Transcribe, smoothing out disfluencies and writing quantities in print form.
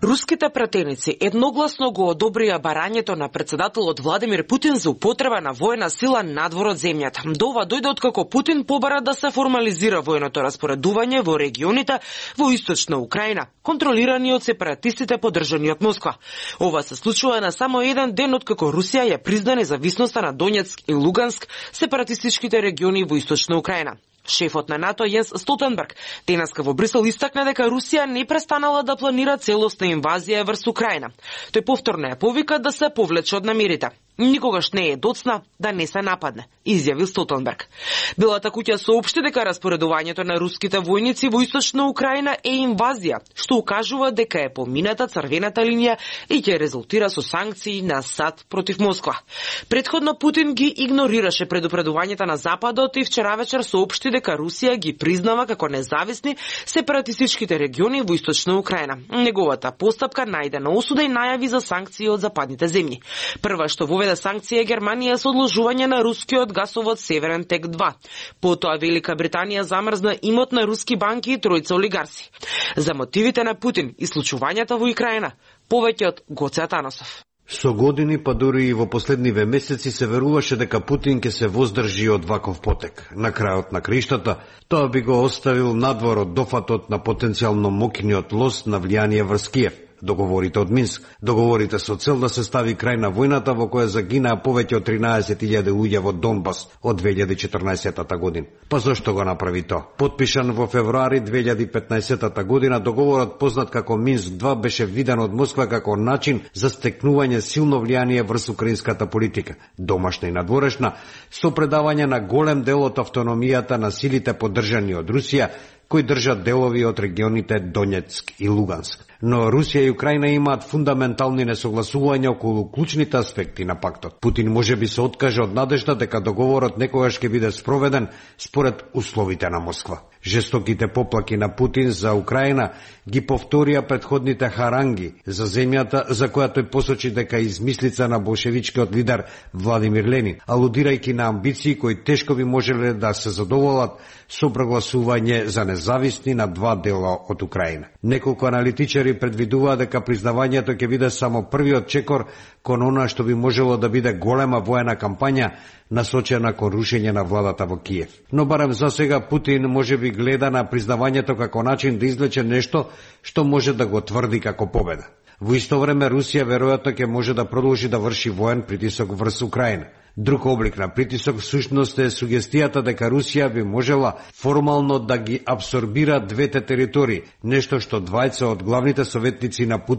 Руските пратеници едногласно го одобрија барањето на председателот Владимир Путин за употреба на војна сила надвор од земјата. До ова дојде откако Путин побара да се формализира војното распоредување во регионите во источна Украина, контролирани од сепаратистите поддржани од Москва. Ова се случува на само еден ден откако Русија ја призна независноста на Донецк и Луганск, сепаратистичките региони во источна Украина. Шефот на НАТО Јенс Столтенберг денеска во Брисел истакна дека Русија не престанала да планира целосна инвазија врз Украина. Тој повторно ја повика да се повлече од намерите. Никогаш не е доцна да не се нападне, изјави Столтенберг. Белата куќа соопшти дека распоредувањето на руските војници во источна Украина е инвазија, што укажува дека е помината црвената линија и ќе резултира со санкции на САД против Москва. Предходно Путин ги игнорираше предупредувањата на Западот и вчера вечер соопшти дека Русија ги признава како независни сепаратистичките региони во источна Украина. Неговата постапка најде на осуда и најави за санкции од западните земји. Прва што воведе санкција Германија со одложување на рускиот гасовод Северен тек 2. Потоа Велика Британија замрзна имот на руски банки и тројца олигарси. За мотивите на Путин и случувањата во Украина, повеќе од Гоце Атанасов. Со години, па дури и во последниве месеци се веруваше дека Путин ќе се воздржи од ваков потек. На крајот на криштата, тоа би го оставил надвор од дофатот на потенцијално мокниот лост на влијание врз Киев. Договорите од Минск, договорите со цел да се стави крај на војната во која загинаа повеќе од 13.000 луѓе во Донбас од 2014 година. Па зошто го направи тоа? Потпишан во февруари 2015 година, договорот познат како Минск 2 беше виден од Москва како начин за стекнување силно влијание врз украинската политика, домашна и надворешна, со предавање на голем дел од автономијата на силите поддржани од Русија, кои држат делови од регионите Донецк и Луганск. Но Русија и Украина имаат фундаментални несогласувања околу клучните аспекти на пактот. Путин можеби се откаже од надежда дека договорот некогаш ќе биде спроведен според условите на Москва. Жестоките поплаки на Путин за Украина ги повторија предходните харанги за земјата, за која тој посочи дека измислица на болшевичкиот лидер Владимир Ленин, алудирајќи на амбиции кои тешко би можеле да се задоволат со прогласување за независни на два дела од Украина. Неколку аналитичари предвидуваат дека признавањето ќе биде само првиот чекор кон она што би можело да биде голема воена кампања насочена кон рушење на владата во Киев. Но барем за сега Путин можеби гледа на признавањето како начин да извлече нешто што може да го тврди како победа. Во исто време Русија веројатно ќе може да продолжи да врши воен притисок врз Украина. Друг облик на притисок всушност е сугестијата дека Русија би можела формално да ги абсорбира двете територии, нешто што двајца од главните советници на Путин